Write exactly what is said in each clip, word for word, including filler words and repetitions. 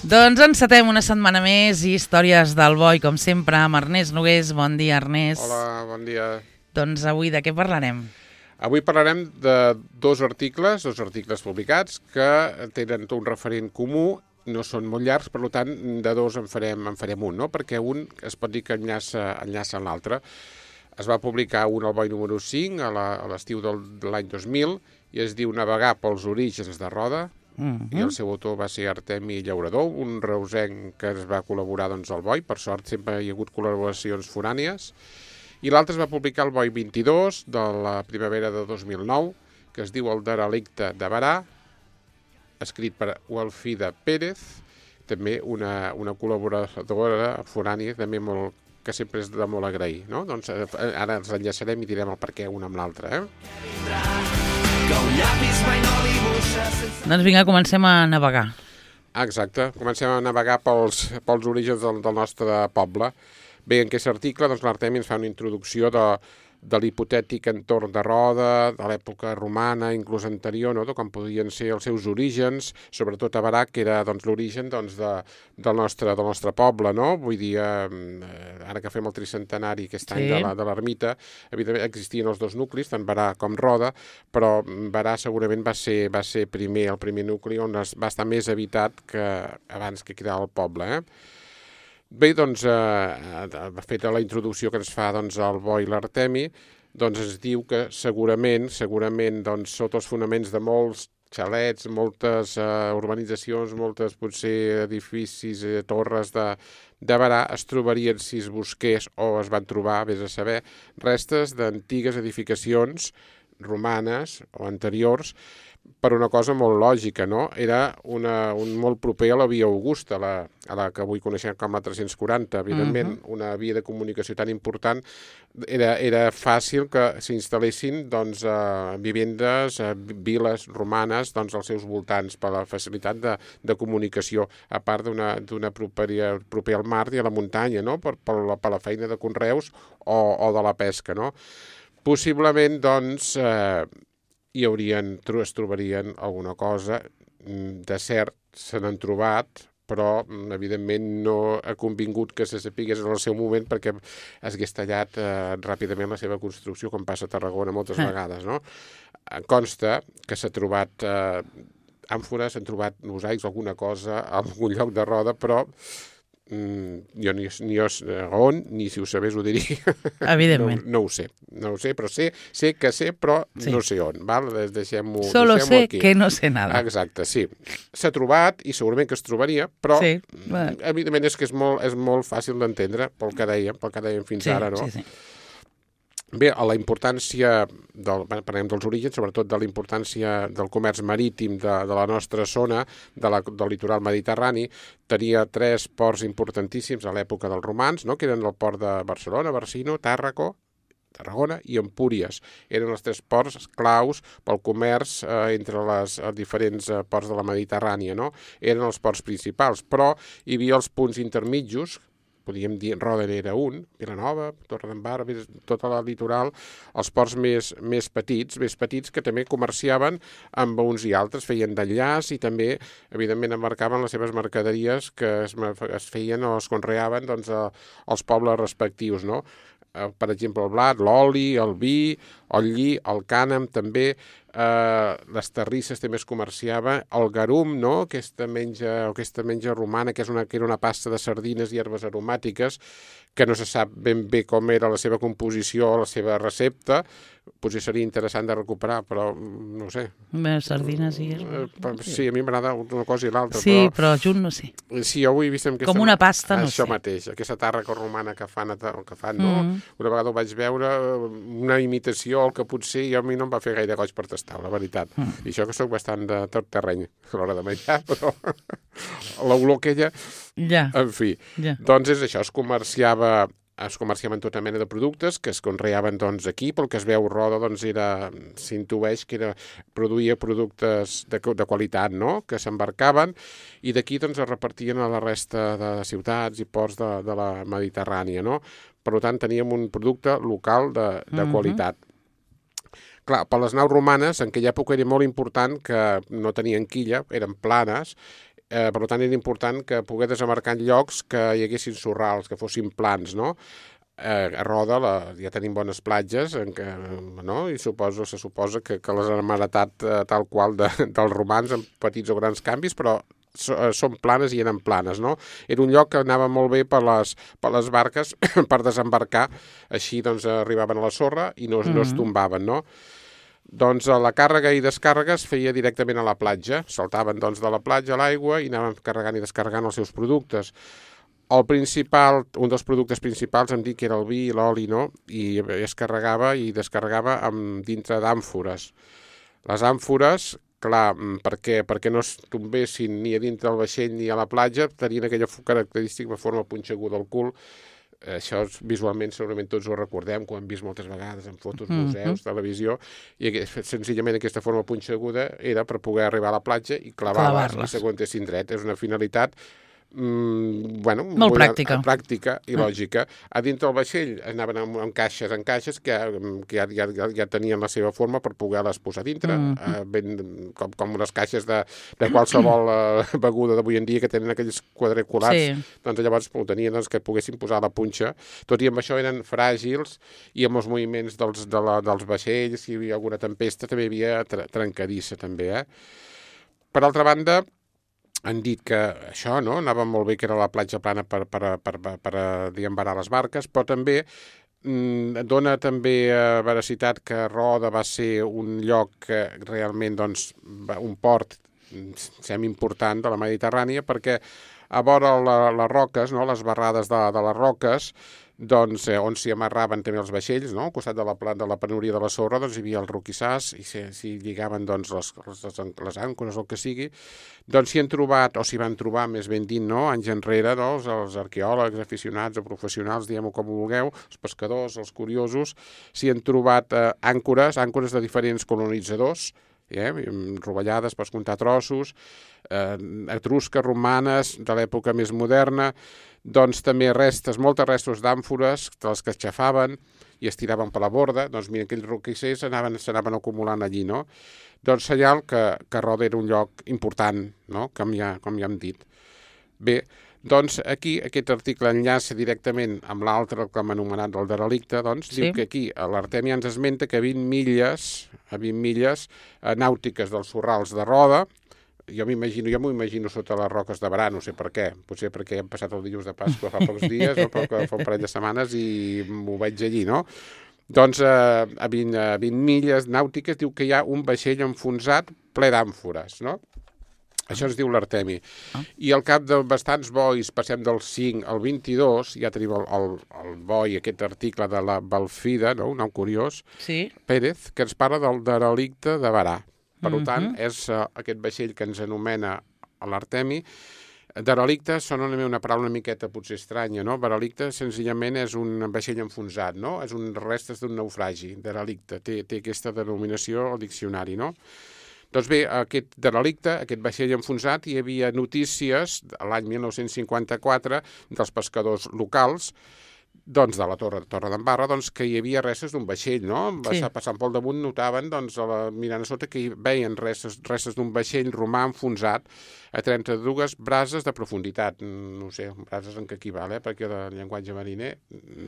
Doncs encetem una setmana més i històries del boi, com sempre, amb Ernest Nogués. Bon dia, Ernest. Hola, bon dia. Doncs avui de què parlarem? Avui parlarem de dos articles, dos articles publicats, que tenen un referent comú, no són molt llargs, per tant, de dos en farem, en farem un, no? Perquè un es pot dir que enllaça, enllaça en l'altre. Es va publicar un al boi número cinc a l'estiu de l'any dos mil i es diu Navegar pels orígens de Roda, Uh-huh. i el seu autor va ser Artemi Llaurador, un reusenc que es va col·laborar doncs, al boi. Per sort sempre hi ha hagut col·laboracions forànies. I l'altre es va publicar al boi vint-i-dos de la primavera de dos mil nou, que es diu El derelicte de Berà, escrit per Walfida Pérez, també una, una col·laboradora forània, també molt, que sempre és de molt agrair, no? Doncs ara ens enllaçarem i direm el per què un amb l'altre, eh? Doncs vinga, comencem a navegar. Exacte, comencem a navegar pels, pels orígens del, del nostre poble. Bé, en aquest article doncs, l'Artemi ens fa una introducció de, de l'hipotètic entorn de Roda, de l'època romana, inclús anterior, no? De com podien ser els seus orígens, sobretot a Berà, que era doncs, l'origen doncs, de, del, nostre, del nostre poble, no? Vull dir, eh, ara que fem el tricentenari aquest any sí. de l'ermita, evidentment existien els dos nuclis, tant Berà com Roda, però Berà segurament va ser, va ser primer, el primer nucli on es, va estar més habitat que abans que quedava el poble, eh? Bé, doncs, eh, feta la introducció que ens fa doncs, el boi l'Artemi, doncs es diu que segurament, segurament doncs, sota els fonaments de molts xalets, moltes eh, urbanitzacions, moltes potser edificis, eh, torres de, de Berà, es trobarien, si es busqués o es van trobar, vés a saber, restes d'antigues edificacions romanes o anteriors, per una cosa molt lògica, no? Era una, un molt proper a la via Augusta, la, a la que avui coneixem com la tres-cents quaranta. Evidentment, uh-huh. una via de comunicació tan important, era, era fàcil que s'instal·lessin doncs, eh, vivendes, eh, viles romanes doncs, als seus voltants, per la facilitat de, de comunicació, a part d'una d'una propera, proper al mar i a la muntanya, no? per, per, la, per la feina de conreus o, o de la pesca, no? Possiblement, doncs, eh, hi haurien, es trobarien alguna cosa. De cert, se n'han trobat, però evidentment no ha convingut que se sapigués en el seu moment perquè s'hagués tallat eh, ràpidament la seva construcció, com passa a Tarragona moltes ah. vegades, no? Consta que s'ha trobat eh, àmfores, s'han trobat mosaics, alguna cosa, en algun lloc de Roda, però Mm, jo ni, ni jo on, ni si ho sabés ho diria. Evidentment. No, no ho sé, no ho sé, però sé, sé que sé, però sí. no sé on. Val? Deixem-ho Solo deixem sé aquí. que no sé nada. Exacte, sí. S'ha trobat i segurament que es trobaria, però sí. evidentment és que és molt, és molt fàcil d'entendre pel que dèiem, pel que dèiem fins sí, ara, no? Sí, sí. Bé, a la importància, del, parlem dels orígens, sobretot de la importància del comerç marítim de, de la nostra zona, de la, del litoral mediterrani, tenia tres ports importantíssims a l'època dels romans, no? Que eren el port de Barcelona, Barcino, Tàrraco, Tarragona i Empúries. Eren els tres ports claus pel comerç eh, entre les els diferents eh, ports de la Mediterrània, no? Eren els ports principals, però hi havia els punts intermitjos, podríem dir, Roda era un, Vilanova, Torredembarra, tota la litoral, els ports més, més petits, més petits que també comerciaven amb uns i altres, feien d'enllaç i també, evidentment, embarcaven les seves mercaderies que es, es feien o es conreaven doncs, a, als pobles respectius, no? Per exemple, el blat, l'oli, el vi, el lli, el cànem, també, eh, les terrisses també es comerciava, el garum, no? aquesta, menja, aquesta menja romana, que, és una, que era una pasta de sardines i herbes aromàtiques, que no se sap ben bé com era la seva composició o la seva recepta, potser seria interessant de recuperar, però no ho sé. Bé, sardines i herbes. Eh, sí, a mi m'agrada una cosa i l'altra. Sí, però, però junt no sé. Sí, jo ho he vist amb aquesta... Com una pasta, no això sé. mateix, aquesta tàrraca romana que fan, que fan no? Mm. Una vegada ho vaig veure, una imitació, el que potser i a mi no em va fer gaire goig per tastar, la veritat. Mm. I això que soc bastant de tot terreny a l'hora de menjar, però l'olor aquella... Ja. En fi, ja. Doncs és això, es comerciava... es comerciaven tota mena de productes que es conreaven doncs, aquí, pel que es veu Roda doncs, era, s'intueix que era, produïa productes de, de qualitat, no? Que s'embarcaven i d'aquí doncs, es repartien a la resta de ciutats i ports de, de la Mediterrània, no? Per tant, teníem un producte local de, de uh-huh. qualitat. Clar, per les naus romanes, en aquella època era molt important que no tenien quilla, eren planes, Eh, per tant, era important que pogués desembarcar en llocs que hi haguessin sorrals, que fossin plans, no? Eh, a Roda la, ja tenim bones platges, en què, no? I suposo, se suposa que, que les han heretat eh, tal qual de, dels romans, amb petits o grans canvis, però so, eh, són planes i eren planes, no? Era un lloc que anava molt bé per les, per les barques per desembarcar, així doncs arribaven a la sorra i no, mm-hmm. no es tombaven, no? Doncs la càrrega i descàrrega es feia directament a la platja, saltaven doncs de la platja a l'aigua i anaven carregant i descarregant els seus productes. El principal, un dels productes principals em dic que era el vi i l'oli, no? I es carregava i descarregava amb, dintre d'àmfores. Les àmfores, clar, per què? Perquè no es tombessin ni a dintre del vaixell ni a la platja, tenien aquella característica de forma punxeguda al cul. Això visualment segurament tots ho recordem, que ho hem vist moltes vegades en fotos, museus, mm-hmm. televisió, i senzillament aquesta forma punxeguda era per poder arribar a la platja i clavar-les i s'aguantessin dret. És una finalitat Mm, bueno, molt molt pràctica. pràctica i lògica. A dintre del vaixell anaven amb, amb caixes en caixes que, que ja, ja, ja tenien la seva forma per poder-les posar dintre, mm. eh, ben, com, com unes caixes de, de qualsevol eh, beguda d'avui en dia que tenen aquells quadriculats. Sí. Doncs llavors ho tenien doncs, que poguessin posar la punxa. Tot i amb això eren fràgils i amb els moviments dels, de la, dels vaixells, si hi havia alguna tempesta, també hi havia tra trencadissa, també. Eh? Per altra banda, han dit que això no anava molt bé, que era la platja plana per, per, per, per, per diembarar les barques, però també mm, dona també eh, veracitat que Roda va ser un lloc que realment, doncs, un port semi-important de la Mediterrània, perquè a vora la, les roques, no, les barrades de, de les roques, doncs, eh, on s'hi amarraven també els vaixells, no? Al costat de la, de la penúria de la sorra, doncs hi havia el roquissars i s'hi lligaven doncs, les, les, les àncores o el que sigui, doncs s'hi han trobat, o s'hi van trobar més ben dit, no? Anys enrere, no? els, els arqueòlegs, aficionats o professionals, diguem-ho com vulgueu, els pescadors, els curiosos, s'hi han trobat eh, àncores, àncores de diferents colonitzadors, eh? rovellades per comptar trossos, eh, etrusques, romanes, de l'època més moderna, doncs també restes, moltes restos d'àmfores, de les que es xafaven i es tiraven per la borda, doncs mira, aquells roquissers s'anaven acumulant allí, no? Doncs senyal que, que Roda era un lloc important, no? Com ja, com ja hem dit. Bé, doncs aquí aquest article enllaça directament amb l'altre que hem anomenat el derelicte, doncs sí. Diu que aquí l'Artèmia ens esmenta que a vint milles, a vint milles eh, nàutiques dels sorrals de Roda, jo m'imagino, jo m'ho imagino sota les roques de Barà, no sé per què, potser perquè hem passat el dilluns de Pasqua fa pocs dies, no? Però fa un parell de setmanes i m'ho veig allí, no? Doncs eh, a, vint, a vint milles nàutiques diu que hi ha un vaixell enfonsat ple d'àmfores, no? Això ens diu l'Artemi. Ah. I al cap de bastants bois, passem del cinc al vint-i-dos, ja tenim el, el, el boi, aquest article de la Balfida, no? Un nom curiós, sí. Pérez, que ens parla del derelicte de Barà. Per mm-hmm. tant, és uh, aquest vaixell que ens anomena l'Artemi. Derelicte sona una paraula una miqueta potser estranya, no? Derelicte senzillament és un vaixell enfonsat, no? És un restes d'un naufragi, derelicte. Té, té aquesta denominació al diccionari, no? Doncs bé, aquest derelicte, aquest vaixell enfonsat, hi havia notícies l'any mil nou-cents cinquanta-quatre dels pescadors locals, doncs de la Torre, Torre d'Embarra, doncs que hi havia restes d'un vaixell, no? Sí. Passant pel damunt notaven, doncs, a la, mirant a sota, que hi veien restes, restes d'un vaixell romà enfonsat a trenta-dues brases de profunditat. No sé, brases en què equival, eh? Perquè el llenguatge mariner,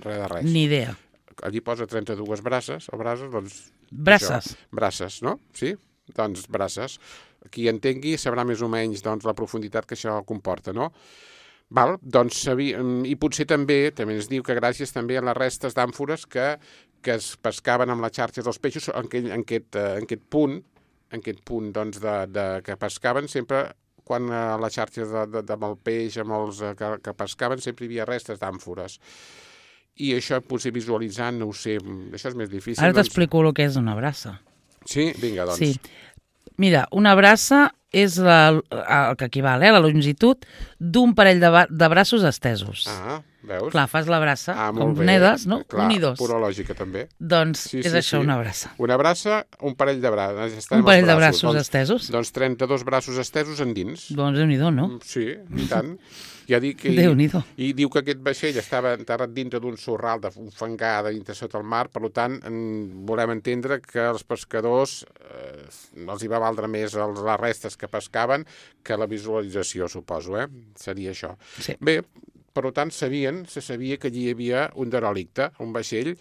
res de res. Ni idea. Allí posa trenta-dues braces, o brases, doncs... Braces. Això, braces, no? Sí? Doncs braces. Qui entengui sabrà més o menys doncs, la profunditat que això comporta, no? Val? Doncs, i potser també, també ens diu que gràcies també a les restes d'àmfores que, que es pescaven amb les xarxes dels peixos en aquest, en aquest, en aquest punt, en aquest punt doncs, de, de, que pescaven sempre, quan a les xarxes de, de, de, amb el peix, amb els que, que pescaven, sempre hi havia restes d'àmfores. I això potser visualitzant, no ho sé, això és més difícil. Ara t'explico doncs... el que és una brassa. Sí? Vinga, doncs. Sí. Mira, una brassa és la, el que equival, eh, la longitud d'un parell de, de braços estesos. Ah, veus? Clar, fas la brassa, ah, com nedes, no? Clar, un i dos. Pura lògica, també. Doncs sí, és sí, això, sí. Una brassa. Una brassa, un parell de braços. Un parell de braços doncs, estesos. Doncs trenta-dos braços estesos endins. Doncs déu-n'hi-do, no? Sí, i tant. Ja dic que, Déu-n'hi-do. i, I diu que aquest vaixell estava enterrat dintre d'un sorral, d'un fangar dintre sota el mar, per tant, en, volem entendre que els pescadors eh, els hi va valdre més els, les restes que pescaven que la visualització, suposo, eh? Seria això. Sí. Bé, per tant, sabien, se sabia que allí hi havia un derelicte, un vaixell,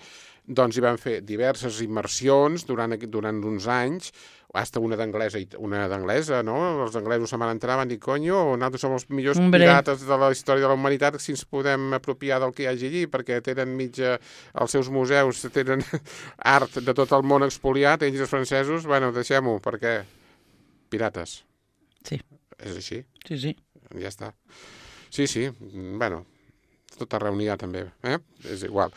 doncs hi van fer diverses immersions durant, durant uns anys, hasta una d'anglesa, una d'anglesa, no? Els anglesos se van entrar, van dir, conyo, nosaltres som els millors Hombre. pirates de la història de la humanitat, si ens podem apropiar del que hi hagi allí, perquè tenen mitja, els seus museus tenen art de tot el món expoliat, ells els francesos, bueno, deixem-ho, perquè pirates. Sí. És així. Sí, sí. Ja està. Sí, sí, bueno, tot arreu n'hi ha també, eh? És igual.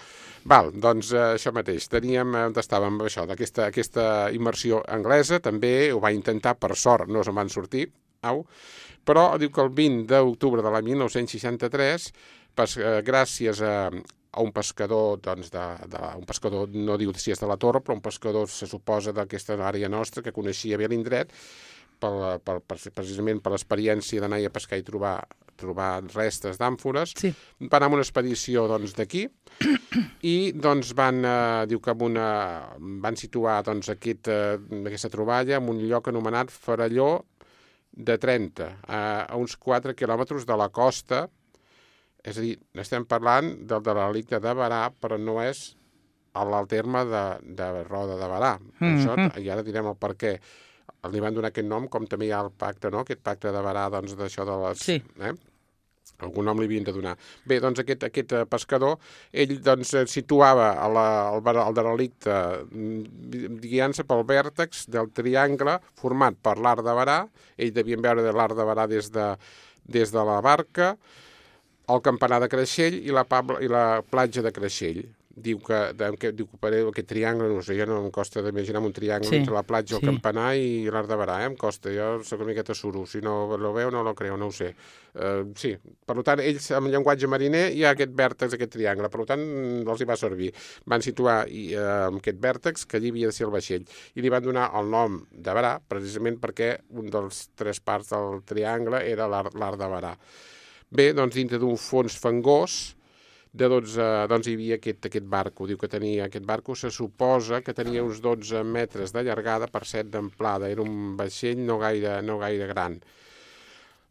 Val, doncs eh, això mateix, teníem, on estàvem amb això, d'aquesta aquesta immersió anglesa, també ho va intentar, per sort, no se'n van sortir, au, però diu que el vint d'octubre de l'any mil nou-cents seixanta-tres, pas, eh, gràcies a, a un pescador, doncs, de, de, un pescador, no diu si és de la Torre, però un pescador se suposa d'aquesta àrea nostra, que coneixia bé l'indret, per, per, per, precisament per l'experiència d'anar a pescar i trobar, trobar restes d'àmfores, Sí. van anar amb una expedició doncs, d'aquí i doncs, van, eh, diu que amb una, van situar doncs, aquest, eh, aquesta troballa en un lloc anomenat Faralló de Trenta, a, a uns quatre quilòmetres de la costa, és a dir, estem parlant del derelicte de Berà, però no és al terme de, de Roda de Berà. Mm-hmm. Això, i ara direm el per què. Li van donar aquest nom, com també hi ha el pacte, no? Aquest pacte de Berà, doncs, d'això de les... Sí. Eh? Algun nom li havien de donar. Bé, doncs aquest, aquest pescador, ell doncs situava a la, el, el derelicte guiant-se pel vèrtex del triangle format per l'Arc de Berà, ell devien veure de l'Arc de Berà des de, des de la barca, el campanar de Creixell i la, Pabla, i la platja de Creixell. Diu que, de, que, diu que aquest triangle, no sé, jo no em costa d'imaginar un triangle sí, entre la platja, el sí. campanar i l'Arc de Berà, eh? Em costa, jo soc una miqueta suro, si no lo veu no lo creu, no ho sé. Uh, sí, per tant, ells, amb llenguatge mariner, hi ha aquest vèrtex, aquest triangle, per tant, els hi va servir. Van situar i, uh, aquest vèrtex, que allí havia de ser el vaixell, i li van donar el nom de Berà, precisament perquè un dels tres parts del triangle era l'Arc de Berà. Bé, doncs, dintre d'un fons fangós, de dotze, doncs hi havia aquest, aquest barco. Diu que tenia aquest barco, se suposa que tenia uns dotze metres de llargada per set d'amplada. Era un vaixell no gaire, no gaire gran.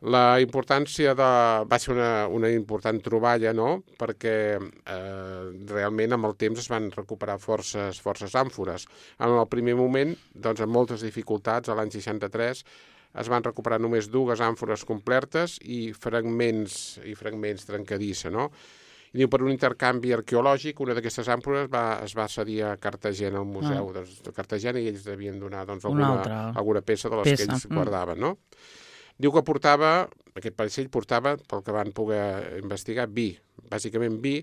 La importància de... va ser una, una important troballa, no?, perquè eh, realment amb el temps es van recuperar forces, forces àmfores. En el primer moment, doncs, amb moltes dificultats, a l'any seixanta-tres, es van recuperar només dues àmfores completes i fragments, i fragments trencadissa, no?, i diu, per un intercanvi arqueològic, una d'aquestes àmfores va, es va cedir a Cartagena, al museu ah. de Cartagena, i ells devien donar doncs, alguna, alguna peça de les peça. que ells mm. guardaven, no? Diu que portava, aquest vaixell portava, pel que van poder investigar, vi, bàsicament vi,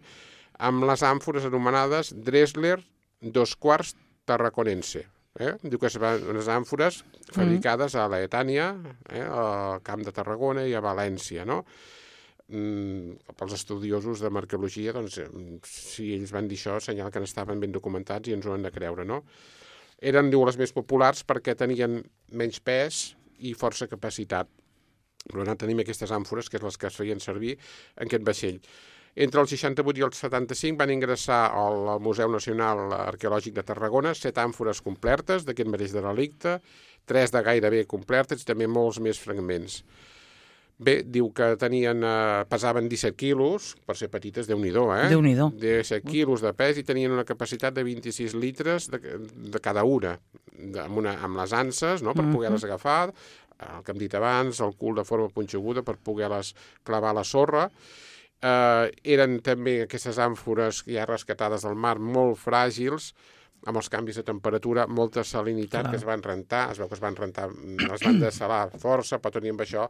amb les àmfores anomenades Dressler dos quarts tarraconense. Eh? Diu que són unes àmfores fabricades a l'Aetània, eh? al Camp de Tarragona i a València, no? Mm, pels estudiosos de marqueologia, doncs, si ells van dir això, senyal que n'estaven ben documentats i ens ho han de creure, no? Eren, diu, les més populars perquè tenien menys pes i força capacitat. Per tant, tenim aquestes àmfores, que és les que es feien servir en aquest vaixell. Entre el seixanta-vuit i el setanta-cinc van ingressar al Museu Nacional Arqueològic de Tarragona set àmfores completes d'aquest mateix derelicte, tres de gairebé completes i també molts més fragments. Bé, diu que tenien, eh, pesaven disset quilos, per ser petites, Déu-n'hi-do, eh? Déu-n'hi-do. disset quilos de pes i tenien una capacitat de vint-i-sis litres de, de cada una, de, amb, una, amb les anses, no?, per poder-les agafar, el que hem dit abans, el cul de forma punxeguda per poder-les clavar a la sorra. Eh, eren també aquestes àmfores ja rescatades del mar molt fràgils, amb els canvis de temperatura, molta salinitat, clar, que es van rentar, es veu que es van rentar, es van dessalar força, però tenir amb això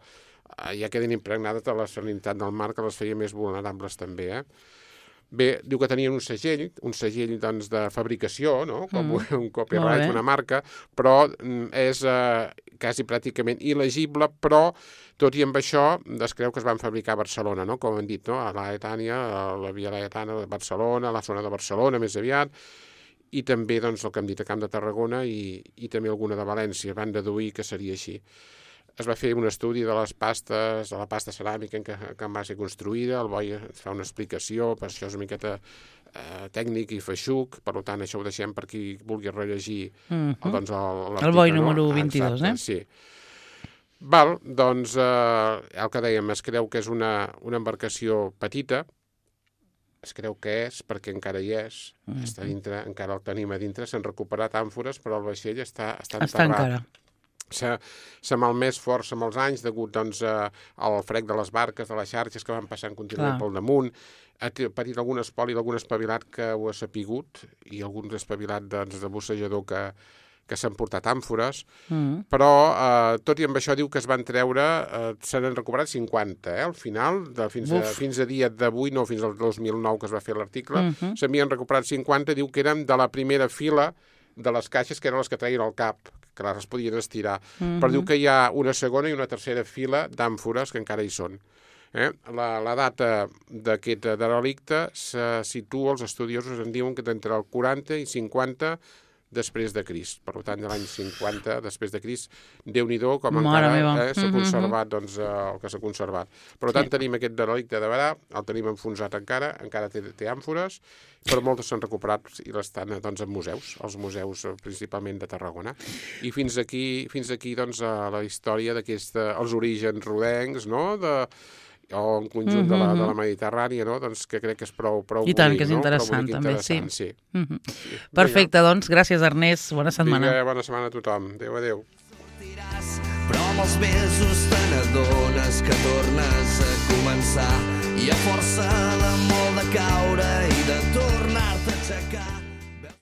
ja queden impregnades de la salinitat del mar, que les feia més vulnerables també, eh? Bé, diu que tenien un segell, un segell doncs, de fabricació, no?, com mm. un copyright, una marca, però és eh, quasi pràcticament il·legible, però tot i amb això es creu que es van fabricar a Barcelona, no?, com hem dit, no?, a l'Aetània, a la Via Laietana de Barcelona, a la zona de Barcelona més aviat, i també, doncs, el que hem dit, a Camp de Tarragona i, i també alguna de València, van deduir que seria així. es va fer un estudi de les pastes, de la pasta ceràmica en què, que va ser construïda, el Boi ens fa una explicació, per això és una miqueta eh, tècnic i feixuc, per tant això ho deixem per qui vulgui rellegir uh-huh. el, doncs, l'article. El Boi no? número vint-i-dos, Exacte, eh? Sí. Val, doncs eh, el que dèiem, es creu que és una, una embarcació petita, es creu que és, perquè encara hi és, uh-huh. està dintre, encara el tenim a dintre, s'han recuperat àmfores, però el vaixell està, està enterrat. Està encara. S'ha malmès força amb els anys degut doncs, eh, al frec de les barques, de les xarxes que van passant contínuament pel damunt. Ha patit algun espoli, algun espavilat que ho ha sapigut i algun espavilat doncs, de bussejador que, que s'han portat àmfores, mm. però eh, tot i amb això diu que es van treure, eh, se n'han recuperat cinquanta, eh, al final, de, fins, a, fins a dia d'avui, no fins al dos mil nou que es va fer l'article, mm-hmm. s'havien recuperat cinquanta, diu que eren de la primera fila de les caixes, que eren les que traien al cap, que les podien estirar. Mm-hmm. Però diu que hi ha una segona i una tercera fila d'àmfores que encara hi són. Eh? La, la data d'aquest derelicte se situa, els estudiosos en diuen que d'entre el quaranta i cinquanta després de Crist. Per tant, de l'any cinquanta després de Crist, Déu-n'hi-do com Mare encara eh, s'ha conservat doncs, eh, el que s'ha conservat. Per tant, sí. tenim aquest derelicte de Berà, el tenim enfonsat encara, encara té, té àmfores, però moltes s'han recuperat i l'estan doncs, en museus, els museus principalment de Tarragona. I fins aquí, fins aquí doncs, la història d'aquests, els orígens rodencs, no?, de o en conjunt mm-hmm. de, la, de la Mediterrània, no? Doncs que crec que és prou, prou I tant, bonic, que és no? interessant, també, interessant, sí. sí. Mm-hmm. sí. Perfecte, Vinga. Doncs, gràcies, Ernest. Bona setmana. Vinga, bona setmana a tothom. Adéu, adéu. Però amb els mesos te n'adones que tornes a començar i a força de molt de caure i de tornar-te a aixecar